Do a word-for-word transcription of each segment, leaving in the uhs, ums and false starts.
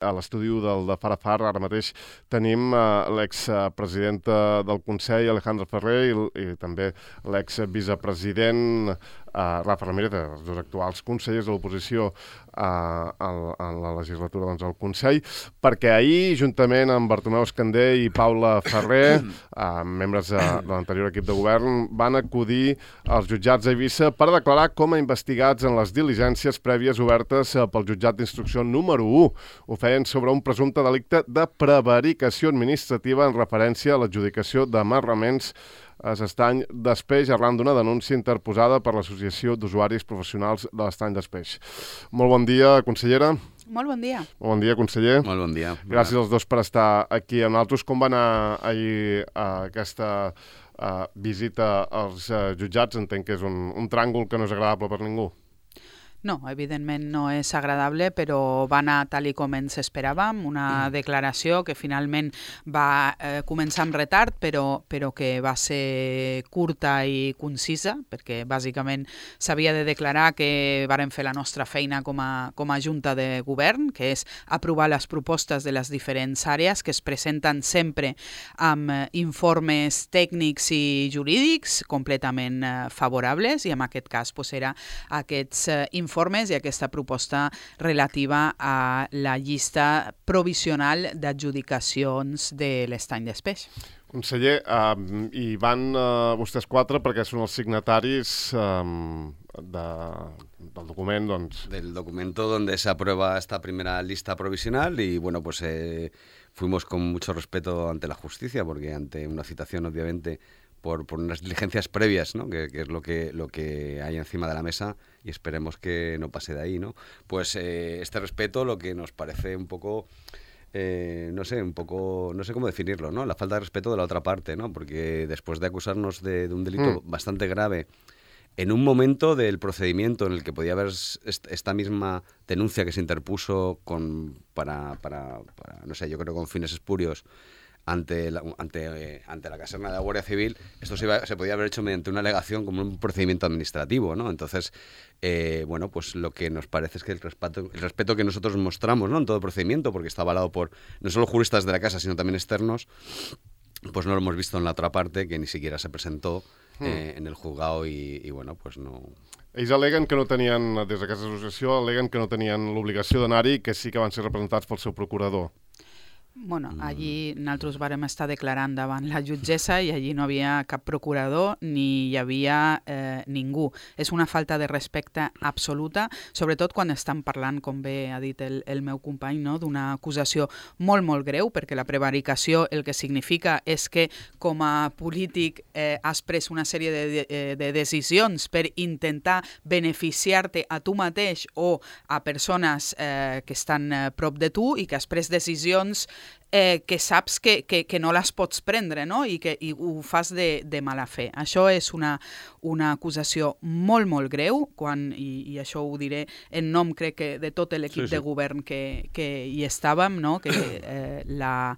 A l'estudi del de Farafar ara mateix tenim uh, l'expresidenta del Consell, Alejandra Ferrer, i, i també l'exvicepresident uh, Rafa Ramírez, els dos actuals consellers de l'oposició uh, en la legislatura doncs, al Consell, perquè ahir, juntament amb Bartomeu Escandé i Paula Ferrer, uh, membres de, de l'anterior equip de govern, van acudir als jutjats d'Eivissa per declarar com a investigats en les diligències prèvies obertes uh, pel jutjat d'instrucció número u. Ho feien sobre un presumpte delicte de prevaricació administrativa en referència a l'adjudicació d'amarraments a l'estany d'Espeix arran d'una denúncia interposada per l'Associació d'Usuaris Professionals de l'Estany d'Espeix. Molt bon dia, consellera. Molt bon dia. Molt bon dia, conseller. Molt bon dia. Gràcies als dos per estar aquí amb nosaltres. Com va anar ahir uh, aquesta uh, visita als uh, jutjats? Entenc que és un, un tràngol que no és agradable per ningú. No, evidentment no és agradable, però va anar tal i com ens esperàvem, una mm. declaració que finalment va eh, començar amb retard, però, però que va ser curta i concisa, perquè bàsicament s'havia de declarar que vàrem fer la nostra feina com a, com a Junta de Govern, que és aprovar les propostes de les diferents àrees que es presenten sempre amb eh, informes tècnics i jurídics completament eh, favorables, i en aquest cas pues, era aquests eh, informes informes i aquesta proposta relativa a la llista provisional d'adjudicacions de l'estany d'Espeix. Conseller, uh, hi van uh, vostès quatre perquè són els signataris um, de, del document, doncs... Del documento donde se aprueba esta primera lista provisional y, bueno, pues eh, fuimos con mucho respeto ante la justicia porque ante una citación, obviamente, Por, por unas diligencias previas, ¿no? que, que es lo que, lo que hay encima de la mesa y esperemos que no pase de ahí, ¿no? Pues eh, este respeto lo que nos parece un poco, eh, no sé, un poco, no sé cómo definirlo, ¿no? La falta de respeto de la otra parte, ¿no? Porque después de acusarnos de, de un delito mm. bastante grave, en un momento del procedimiento en el que podía haber esta misma denuncia que se interpuso con, para, para, para, no sé, yo creo con fines espurios, ante la, ante, eh, ante la caserna de la Guardia Civil, esto se, iba, se podía haber hecho mediante una alegación como un procedimiento administrativo, ¿no? Entonces, eh, bueno, pues lo que nos parece es que el respeto, el respeto que nosotros mostramos, ¿no? En todo el procedimiento, porque está avalado por no solo juristas de la casa, sino también externos, pues no lo hemos visto en la otra parte, que ni siquiera se presentó eh, en el juzgado y, y, bueno, pues no... Ells aleguen que no tenien, des d'aquesta associació, aleguen que no tenien l'obligació d'anar-hi i que sí que van ser representats pel seu procurador. Bueno, allí nosaltres vàrem estar declarant davant la jutgessa i allí no havia cap procurador ni hi havia eh, ningú. És una falta de respecte absoluta, sobretot quan estan parlant, com bé ha dit el, el meu company, no? D'una acusació molt, molt greu, perquè la prevaricació el que significa és que com a polític eh, has pres una sèrie de, de, de decisions per intentar beneficiar-te a tu mateix o a persones eh, que estan eh, prop de tu i que has pres decisions Eh, que saps que, que, que no les pots prendre, no? I que i ho fas de, de mala fe. Això és una, una acusació molt, molt greu, quan, i, i això ho diré en nom, crec que, de tot l'equip sí, sí. de govern que, que hi estàvem, no? Que eh, la,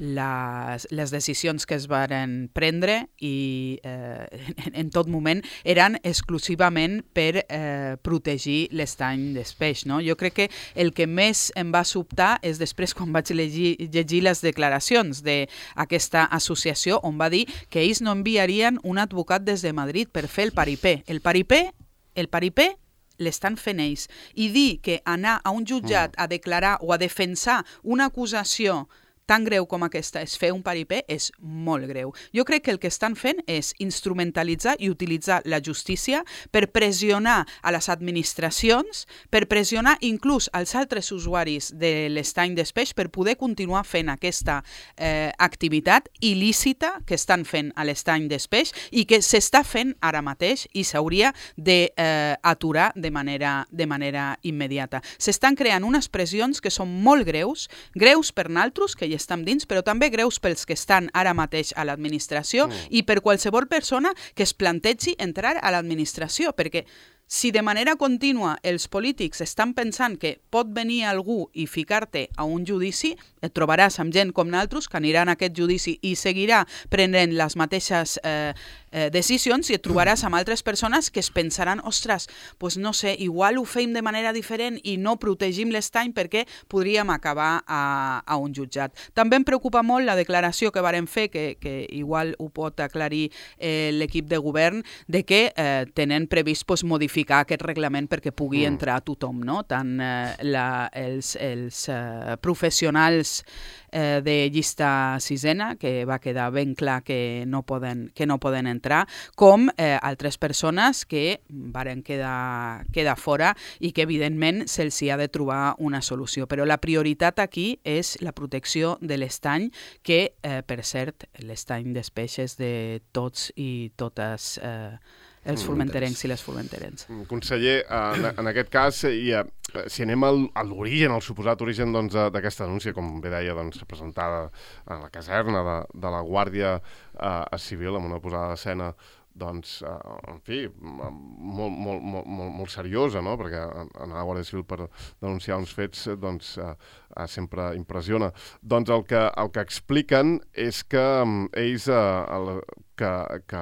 les, les decisions que es varen prendre i eh, en, en tot moment eren exclusivament per eh, protegir l'estany d'Espeix, no? Jo crec que el que més em va sobtar és després quan vaig llegir, llegir les declaracions d'aquesta associació on va dir que ells no enviarien un advocat des de Madrid per fer el paripé. El paripé, el paripé l'estan fent ells. I dir que anar a un jutjat a declarar o a defensar una acusació tan greu com aquesta és fer un paripé és molt greu. Jo crec que el que estan fent és instrumentalitzar i utilitzar la justícia per pressionar a les administracions, per pressionar inclús als altres usuaris de l'estany d'Espeix per poder continuar fent aquesta eh, activitat il·lícita que estan fent a l'estany d'Espeix i que s'està fent ara mateix i s'hauria d'aturar eh, de, manera, de manera immediata. S'estan creant unes pressions que són molt greus, greus per naltros, que hi estem dins, però també greus pels que estan ara mateix a l'administració mm. i per qualsevol persona que es plantegi entrar a l'administració, perquè si de manera contínua els polítics estan pensant que pot venir algú i ficar-te a un judici, et trobaràs amb gent com naltros que aniran a aquest judici i seguirà prenent les mateixes eh, eh, decisions i et trobaràs amb altres persones que es pensaran, ostres, pues no sé, igual ho feim de manera diferent i no protegim l'estany perquè podríem acabar a, a un jutjat. També em preocupa molt la declaració que varen fer, que, que igual ho pot aclarir eh, l'equip de govern, de que eh, tenen previst pues, modificar aquest reglament perquè pugui mm. entrar tothom, no? Tant eh, la, els, els eh, professionals eh, de llista sisena, que va quedar ben clar que no poden, que no poden entrar, com eh, altres persones que varen quedar, quedar fora i que evidentment se'ls hi ha de trobar una solució. Però la prioritat aquí és la protecció de l'estany, que, eh, per cert, l'estany dels peixes de tots i totes eh, els formenterencs i les formenterens. Conseller, en, en aquest cas, i, si anem al, a l'origen, al suposat origen doncs, d'aquesta denúncia, com bé deia, doncs, presentada en la caserna de, de la Guàrdia eh, Civil, amb una posada d'escena doncs, eh, en fi, molt, molt, molt, molt, molt seriosa, no? Perquè anar a la Guàrdia Civil per denunciar uns fets doncs, eh, sempre impressiona. Doncs el que, el que expliquen és que um, ells, eh, el, que, que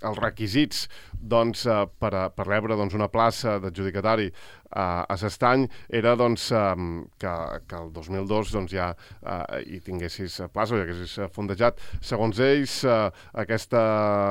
els requisits doncs, eh, per, a, per rebre doncs, una plaça d'adjudicatari eh, a s'estany era doncs, eh, que, que el dos mil dos doncs, ja eh, hi tinguessis plaça o hi haguessis fondejat. Segons ells, eh, aquesta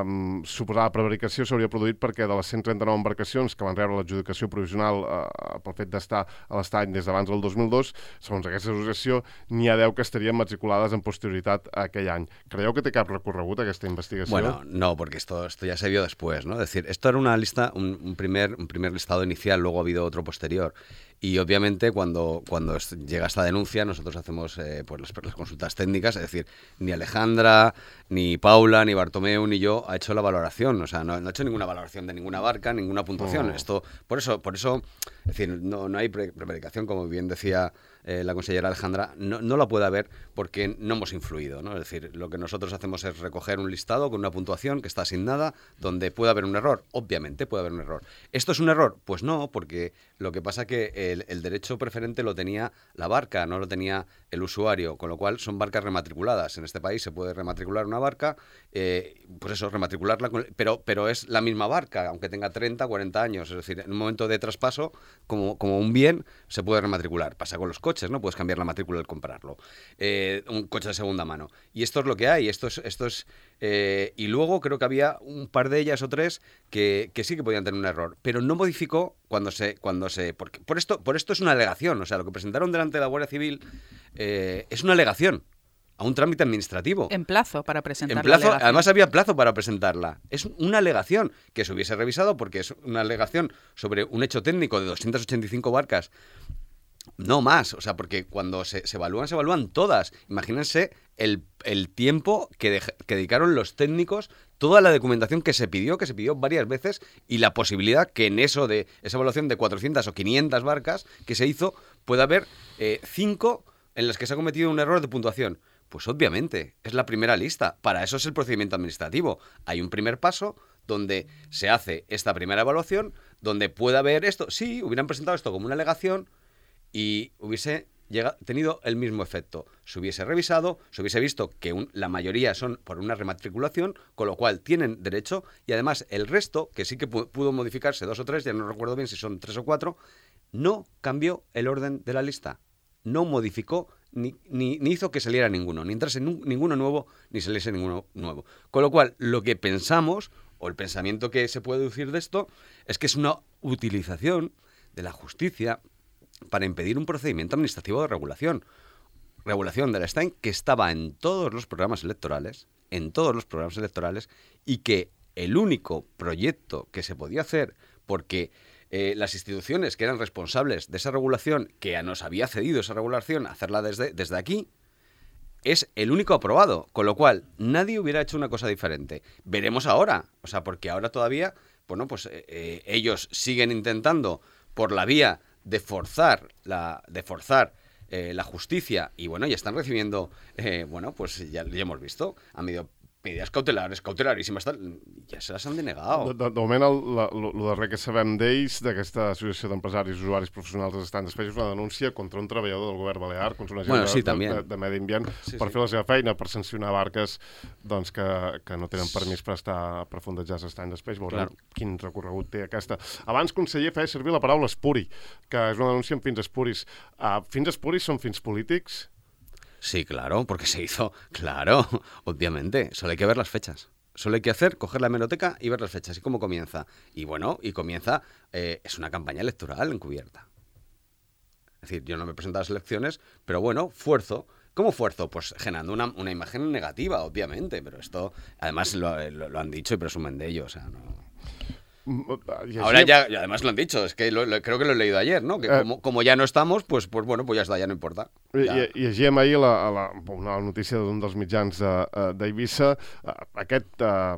um, suposada prevaricació s'hauria produït perquè de les cent trenta-nou embarcacions que van rebre l'adjudicació provisional eh, pel fet d'estar a l'estany des d'abans del dos mil dos, segons aquesta associació, n'hi ha deu que estarien matriculades en posterioritat a aquell any. Creieu que té cap recorregut aquesta investigació? Bueno, no, porque esto, esto ya se vio después, ¿no? Es decir, esto era una lista, un, un, primer, un primer listado inicial, luego ha habido otro posterior. Y obviamente cuando, cuando llega esta denuncia nosotros hacemos eh, pues las, las consultas técnicas, es decir, ni Alejandra, ni Paula, ni Bartomeu, ni yo ha hecho la valoración, o sea, no, no ha hecho ninguna valoración de ninguna barca, ninguna puntuación. Oh. Esto, por eso, por eso, es decir, no, no hay pre prevaricación, como bien decía eh, la consellera Alejandra, no, no la puede haber porque no hemos influido, ¿no? Es decir, lo que nosotros hacemos es recoger un listado con una puntuación que está asignada, donde puede haber un error, obviamente puede haber un error. ¿Esto es un error? Pues no, porque lo que pasa que el, el derecho preferente lo tenía la barca, no lo tenía el usuario, con lo cual son barcas rematriculadas. En este país se puede rematricular una barca, eh, pues eso, rematricularla, con, pero, pero es la misma barca, aunque tenga treinta, cuarenta años, es decir, en un momento de traspaso, como, como un bien, se puede rematricular. Pasa con los coches, ¿no? Puedes cambiar la matrícula al comprarlo. Eh, un coche de segunda mano. Y esto es lo que hay, esto es... Esto es eh, y luego creo que había un par de ellas o tres que, que sí que podían tener un error, pero no modificó cuando se... Cuando se porque por esto, por esto es una alegación, o sea, lo que presentaron delante de la Guardia Civil eh, es una alegación a un trámite administrativo. En plazo para presentar en plazo, la alegación. Además había plazo para presentarla. Es una alegación que se hubiese revisado porque es una alegación sobre un hecho técnico de doscientas ochenta y cinco barcas. No más, o sea, porque cuando se, se evalúan, se evalúan todas. Imagínense el, el tiempo que, de, que dedicaron los técnicos, toda la documentación que se pidió, que se pidió varias veces, y la posibilidad que en eso de esa evaluación de cuatrocientas o quinientas barcas que se hizo, pueda haber eh, cinco en las que se ha cometido un error de puntuación. Pues obviamente, es la primera lista. Para eso es el procedimiento administrativo. Hay un primer paso donde se hace esta primera evaluación, donde puede haber esto. Sí, hubieran presentado esto como una alegación, y hubiese llegado, tenido el mismo efecto. Se hubiese revisado, se hubiese visto que un, la mayoría son por una rematriculación, con lo cual tienen derecho, y además el resto, que sí que pudo modificarse, dos o tres, ya no recuerdo bien si son tres o cuatro, no cambió el orden de la lista. No modificó ni, ni, ni hizo que saliera ninguno, ni entrase ninguno nuevo, ni saliese ninguno nuevo. Con lo cual, lo que pensamos, o el pensamiento que se puede deducir de esto, es que es una utilización de la justicia para impedir un procedimiento administrativo de regulación. Regulación del Estany que estaba en todos los programas electorales, en todos los programas electorales, y que el único proyecto que se podía hacer, porque eh, las instituciones que eran responsables de esa regulación, que nos había cedido esa regulación, hacerla desde, desde aquí, es el único aprobado, con lo cual nadie hubiera hecho una cosa diferente. Veremos ahora, o sea, porque ahora todavía, bueno, pues eh, eh, ellos siguen intentando por la vía de forzar la de forzar eh, la justicia, y bueno, ya están recibiendo eh, bueno, pues ya, ya hemos visto, han habido medidas cautelares, cautelaríssimes, ja se les han denegat. De, de, de moment, el, la, el, el darrer que sabem d'ells, d'aquesta associació d'empresaris i usuaris professionals dels estanys d'espais, és una denúncia contra un treballador del govern balear, contra una gent bueno, sí, de, de, de, de medi ambient, sí, per sí. fer la seva feina, per sancionar barques doncs, que, que no tenen permís per estar per fondejar els estanys d'espais. Veurem claro. Quin recorregut té aquesta. Abans, conseller, feia servir la paraula espuri, que és una denúncia amb fins espuris. Uh, fins espuris són fins polítics? Sí, claro, porque se hizo, claro, obviamente, solo hay que ver las fechas. Solo hay que hacer, coger la hemeroteca y ver las fechas y cómo comienza. Y bueno, y comienza, eh, es una campaña electoral encubierta. Es decir, yo no me presento a las elecciones, pero bueno, fuerzo. ¿Cómo fuerzo? Pues generando una, una imagen negativa, obviamente, pero esto, además lo, lo, lo han dicho y presumen de ello, o sea, no... Ahora ya, y además lo han dicho, es que lo, lo, creo que lo he leído ayer, ¿no? Que eh, como, como ya no estamos, pues, pues bueno, pues ya está, ya no importa. Ja. I, i llegíem ahir la, la, una notícia d'un dels mitjans d'Eivissa, aquest uh,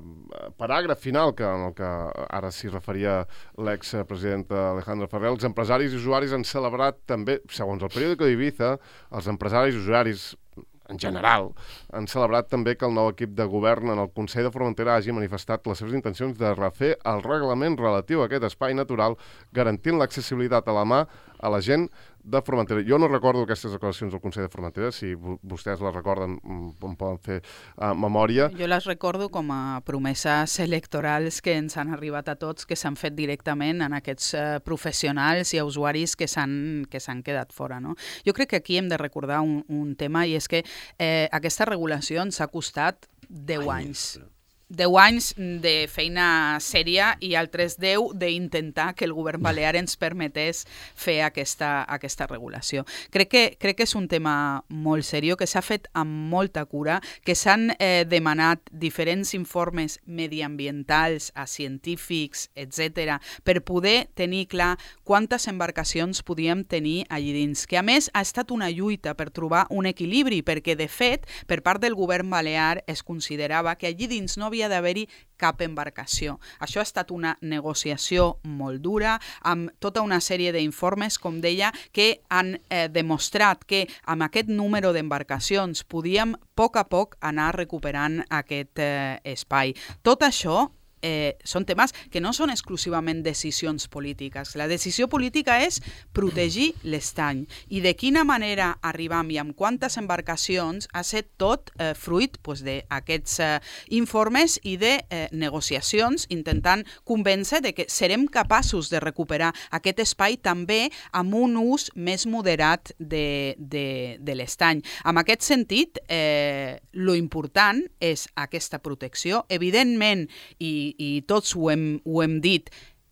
paràgraf final que, en el que ara s'hi referia l'expresident Alejandro Ferrer. Els empresaris i usuaris han celebrat també, segons el periòdico d'Ibiza, els empresaris i usuaris en general, han celebrat també que el nou equip de govern en el Consell de Formentera hagi manifestat les seves intencions de refer el reglament relatiu a aquest espai natural, garantint l'accessibilitat a la mà a la gent de Formentera. Jo no recordo aquestes declaracions del Consell de Formentera, si vostès les recorden, em poden fer uh, memòria. Jo les recordo com a promeses electorals que ens han arribat a tots, que s'han fet directament en aquests uh, professionals i usuaris que s'han que s'han quedat fora. No? Jo crec que aquí hem de recordar un, un tema, i és que eh, aquesta regulació ens ha costat deu anys. deu anys de feina sèria i altres deu d'intentar que el govern balear ens permetés fer aquesta, aquesta regulació. Crec que, crec que és un tema molt seriós, que s'ha fet amb molta cura, que s'han eh, demanat diferents informes mediambientals a científics, etcètera, per poder tenir clar quantes embarcacions podíem tenir allí dins. Que a més ha estat una lluita per trobar un equilibri, perquè de fet, per part del govern balear es considerava que allí dins no havia d'haver-hi cap embarcació. Això ha estat una negociació molt dura, amb tota una sèrie d'informes, com deia, que han eh, demostrat que amb aquest número d'embarcacions podíem a poc a poc anar recuperant aquest eh, espai. Tot això Eh, són temes que no són exclusivament decisions polítiques. La decisió política és protegir l'estany. I de quina manera arribam i amb quantes embarcacions ha estat tot eh, fruit pues, d'aquests eh, informes i de eh, negociacions, intentant convèncer de que serem capaços de recuperar aquest espai també amb un ús més moderat de, de, de l'estany. En aquest sentit, eh, lo important és aquesta protecció. Evidentment, i i tots ho hem, ho hem dit,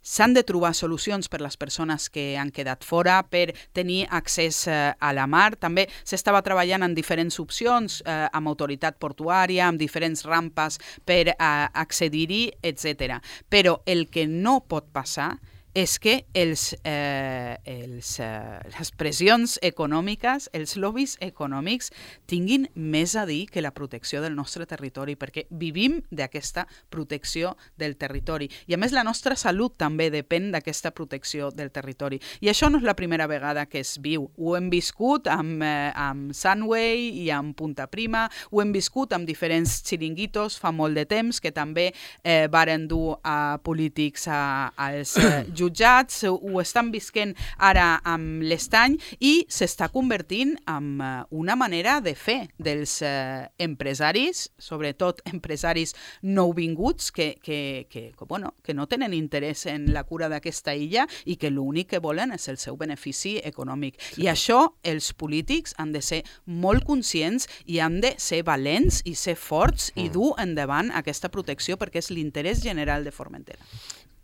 s'han de trobar solucions per a les persones que han quedat fora, per tenir accés eh, a la mar. També s'estava treballant en diferents opcions, eh, amb autoritat portuària, amb diferents rampes per eh, accedir-hi, etcètera. Però el que no pot passar és que els, eh, els, eh, les pressions econòmiques, els lobbies econòmics, tinguin més a dir que la protecció del nostre territori, perquè vivim d'aquesta protecció del territori. I a més la nostra salut també depèn d'aquesta protecció del territori. I això no és la primera vegada que es viu. Ho hem viscut amb, eh, amb Sunway i amb Punta Prima, ho hem viscut amb diferents xiringuitos fa molt de temps, que també eh, varen dur a polítics a, als eh, jutjats, ho estan visquent ara amb l'estany i s'està convertint en una manera de fer dels eh, empresaris, sobretot empresaris nouvinguts que, que, que, bueno, que no tenen interès en la cura d'aquesta illa i que l'únic que volen és el seu benefici econòmic. Sí. I això els polítics han de ser molt conscients i han de ser valents i ser forts mm. i dur endavant aquesta protecció perquè és l'interès general de Formentera.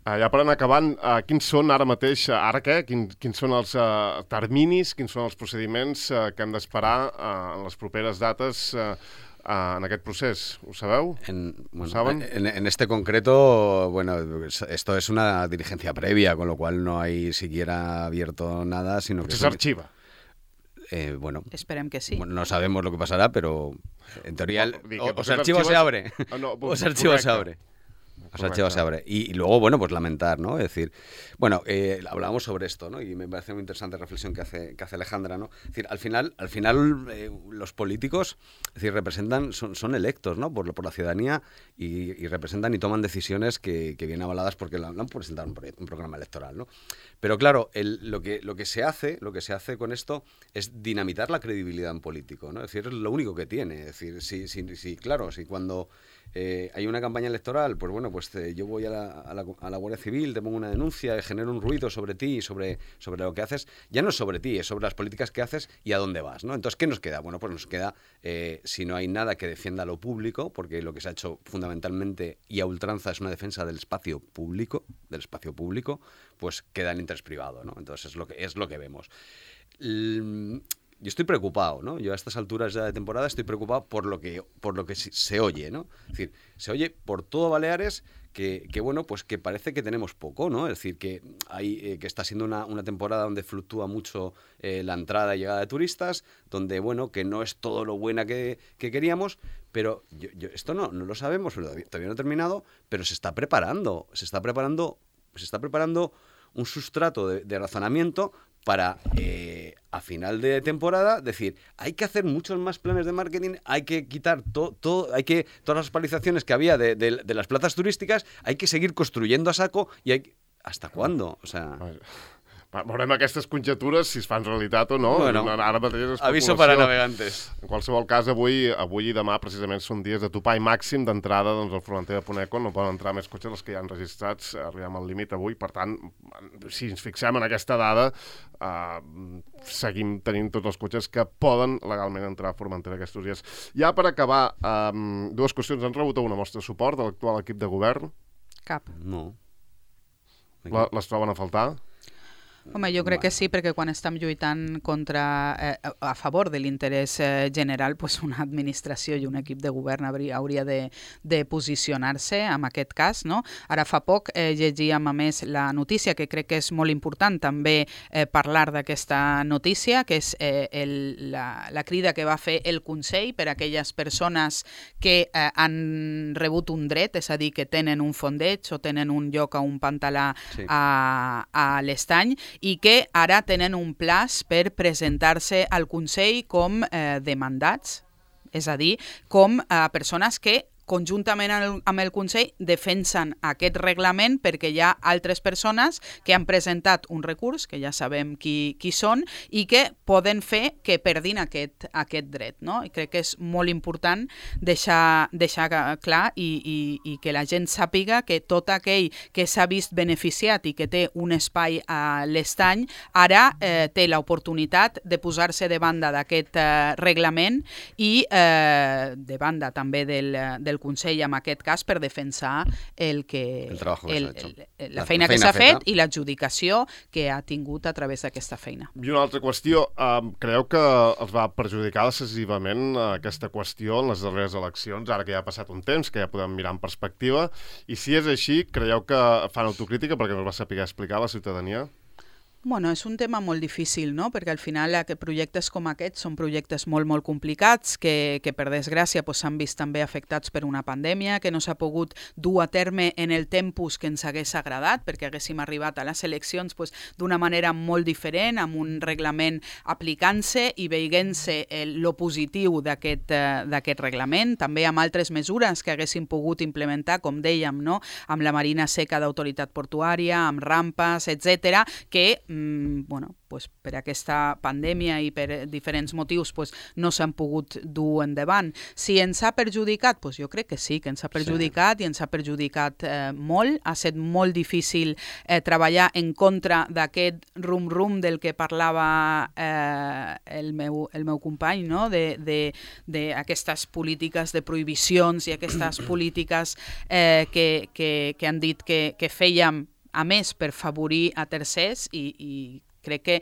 Uh, ja per anar acabant, uh, quins són ara mateix, uh, ara què? Quin, quins són els uh, terminis, quins són els procediments uh, que hem d'esperar uh, en les properes dates uh, uh, en aquest procés? Ho sabeu? En, bueno, ¿Ho saben? En, en este concreto, bueno, esto es una diligencia previa, con lo cual no hay siquiera abierto nada, sino que... ¿Se archiva? Eh, bueno, esperem que sí. Bueno, no sabemos lo que pasará, pero en teoría el, no, o, o se archiva o se abre. Oh, no, o se archiva o se abre. O sea, archivo se abre. Y, y luego, bueno, pues lamentar, ¿no? Es decir, bueno, eh, hablábamos sobre esto, ¿no? Y me parece muy interesante la reflexión que hace, que hace Alejandra, ¿no? Es decir, al final, al final eh, los políticos, es decir, representan, son, son electos, ¿no? por, por la ciudadanía y, y representan y toman decisiones que, que vienen avaladas porque lo han presentado un, un programa electoral, ¿no? Pero claro, el, lo, que, lo que se hace, lo que se hace con esto es dinamitar la credibilidad en político, ¿no? Es decir, es lo único que tiene. Es decir, si, si, si claro, si cuando eh, hay una campaña electoral, pues bueno, pues te, yo voy a la, a, la, a la Guardia Civil, te pongo una denuncia, genero un ruido sobre ti, sobre, sobre lo que haces, ya no es sobre ti, es sobre las políticas que haces y a dónde vas, ¿no? Entonces, ¿qué nos queda? Bueno, pues nos queda, eh, si no hay nada que defienda lo público, porque lo que se ha hecho fundamentalmente y a ultranza es una defensa del espacio público, del espacio público, pues queda el interés privado, ¿no? Entonces es lo que, es lo que vemos. L- Yo estoy preocupado, ¿no? Yo a estas alturas ya de temporada estoy preocupado por lo que, por lo que se, se oye, ¿no? Es decir, se oye por todo Baleares que, que bueno, pues que parece que tenemos poco, ¿no? Es decir, que hay, eh, que está siendo una, una temporada donde fluctúa mucho eh, la entrada y llegada de turistas, donde, bueno, que no es todo lo buena que, que queríamos, pero yo, yo, esto no, no lo sabemos, todavía, todavía no ha terminado, pero se está preparando, se está preparando, se está preparando un sustrato de, de razonamiento para eh, a final de temporada decir, hay que hacer muchos más planes de marketing, hay que quitar todo, todo hay que todas las paralizaciones que había de, de, de las plazas turísticas, hay que seguir construyendo a saco y hay ¿hasta cuándo? O sea, veurem aquestes conjectures, si es fan realitat o no. Bueno, ara mateix és aviso para navegantes. En qualsevol cas, avui, avui i demà precisament són dies de topall màxim d'entrada doncs, al Formentera de Ponècon. No poden entrar més cotxes els que ja han registrats. Arribem al límit avui. Per tant, si ens fixem en aquesta dada, eh, seguim tenint tots els cotxes que poden legalment entrar a Formentera aquests dies. Ja per acabar, eh, dues qüestions. Han rebut una mostra de suport de l'actual equip de govern? Cap. No. La, les troben a faltar? Home, jo crec que sí, perquè quan estem lluitant contra, eh, a favor de l'interès eh, general, pues una administració i un equip de govern hauria, hauria de, de posicionar-se en aquest cas, no? Ara fa poc eh, llegíem a més la notícia, que crec que és molt important també eh, parlar d'aquesta notícia, que és eh, el, la, la crida que va fer el Consell per a aquelles persones que eh, han rebut un dret, és a dir, que tenen un fondeig o tenen un lloc a un pantalà sí. a, a l'Estany, i que ara tenen un plaç per presentar-se al Consell com eh, demandats, és a dir, com eh, persones que conjuntament amb el Consell defensen aquest reglament perquè hi ha altres persones que han presentat un recurs, que ja sabem qui, qui són, i que poden fer que perdin aquest, aquest dret. No? I crec que és molt important deixar, deixar clar i, i, i que la gent sàpiga que tot aquell que s'ha vist beneficiat i que té un espai a l'Estany, ara eh, té l'oportunitat de posar-se de banda d'aquest eh, reglament i eh, de banda també del, del Consell en aquest cas per defensar el que, el que el, el, el, la, la feina, feina que s'ha fet i l'adjudicació que ha tingut a través d'aquesta feina. I una altra qüestió, eh, creu que els va perjudicar decisivament eh, aquesta qüestió en les darreres eleccions, ara que ja ha passat un temps, que ja podem mirar en perspectiva, i si és així, creieu que fan autocrítica perquè no es va saber explicar a la ciutadania? Bueno, és un tema molt difícil, no? Perquè al final que projectes com aquests són projectes molt, molt complicats que, que per desgràcia s'han vist també afectats per una pandèmia, que no s'ha pogut dur a terme en el tempus que ens hagués agradat, perquè haguéssim arribat a les eleccions pues, d'una manera molt diferent, amb un reglament aplicant-se i veient-se lo positiu d'aquest eh, reglament, també amb altres mesures que haguéssim pogut implementar, com dèiem, no? Amb la marina seca d'autoritat portuària, amb rampes, etcètera, que bueno, pues per aquesta pandèmia i per diferents motius pues, no s'han pogut dur endavant. Si ens ha perjudicat, pues jo crec que sí, que ens ha perjudicat sí. i ens ha perjudicat eh, molt. Ha estat molt difícil eh, treballar en contra d'aquest rum-rum del que parlava eh, el, meu, el meu company, no? d'aquestes polítiques de prohibicions i aquestes polítiques eh, que, que, que han dit que, que fèiem a més per favorir a tercers i, i crec que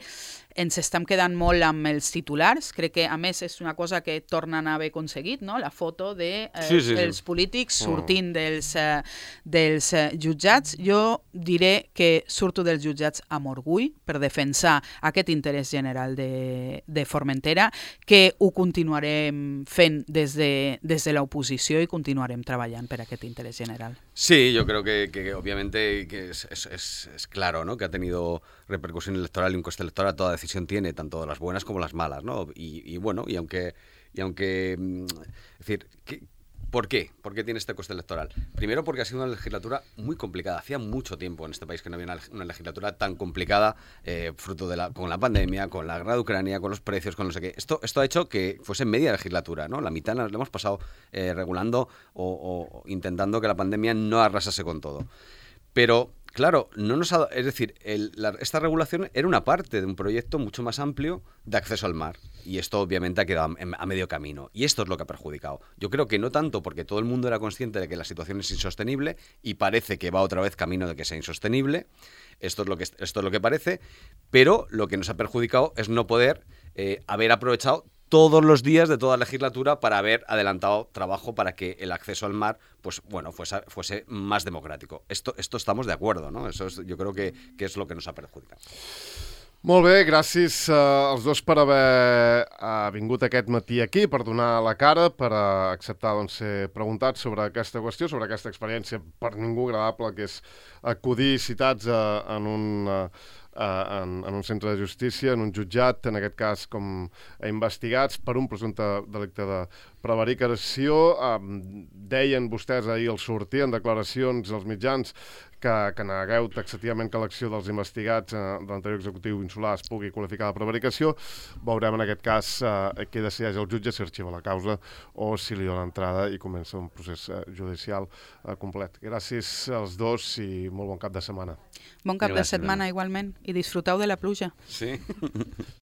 ens estem quedant molt amb els titulars. Crec que, a més, és una cosa que tornen a haver aconseguit, no? La foto dels de, eh, sí, sí, sí. polítics sortint dels, eh, dels eh, jutjats. Jo diré que surto dels jutjats amb orgull per defensar aquest interès general de, de Formentera, que ho continuarem fent des de, des de l'oposició i continuarem treballant per aquest interès general. Sí, yo creo que, que obviamente que es, es, es, es claro, ¿no? Que ha tenido repercusión electoral y un coste electoral, toda decisión tiene, tanto las buenas como las malas, ¿no? Y, y bueno, y aunque, y aunque... Es decir, ¿qué, ¿por qué? ¿Por qué tiene este coste electoral? Primero porque ha sido una legislatura muy complicada. Hacía mucho tiempo en este país que no había una, una legislatura tan complicada, eh, fruto de la, con la pandemia, con la guerra de Ucrania, con los precios, con no sé qué. Esto, esto ha hecho que fuese media legislatura, ¿no? La mitad la hemos pasado eh, regulando o, o intentando que la pandemia no arrasase con todo. Pero, claro, no nos ha, es decir, el, la, esta regulación era una parte de un proyecto mucho más amplio de acceso al mar. Y esto obviamente ha quedado a, a medio camino. Y esto es lo que ha perjudicado. Yo creo que no tanto porque todo el mundo era consciente de que la situación es insostenible y parece que va otra vez camino de que sea insostenible. Esto es lo que, esto es lo que parece. Pero lo que nos ha perjudicado es no poder eh, haber aprovechado todos los días de toda la legislatura para haber adelantado trabajo para que el acceso al mar, pues bueno, fuese, fuese más democrático. Esto, esto estamos de acuerdo, ¿no? Eso es, yo creo que, que és lo que nos ha perjudicado. Molt bé, gràcies uh, als dos per haver uh, vingut aquest matí aquí, per donar la cara, per uh, acceptar doncs, ser preguntats sobre aquesta qüestió, sobre aquesta experiència per ningú agradable, que és acudir citats uh, en un... Uh, Uh, en, en un centre de justícia, en un jutjat, en aquest cas com a investigats per un presumpte delicte de prevaricació. Uh, deien vostès ahir al sortir en declaracions als mitjans que, que negueu taxativament que l'acció dels investigats uh, de l'anterior executiu insular es pugui qualificar de prevaricació. Veurem en aquest cas uh, què decideix el jutge, si arxiva la causa o si li dona entrada i comença un procés uh, judicial uh, complet. Gràcies als dos i molt bon cap de setmana. Bon cap Gràcies, de setmana igualment i disfruteu de la pluja. Sí.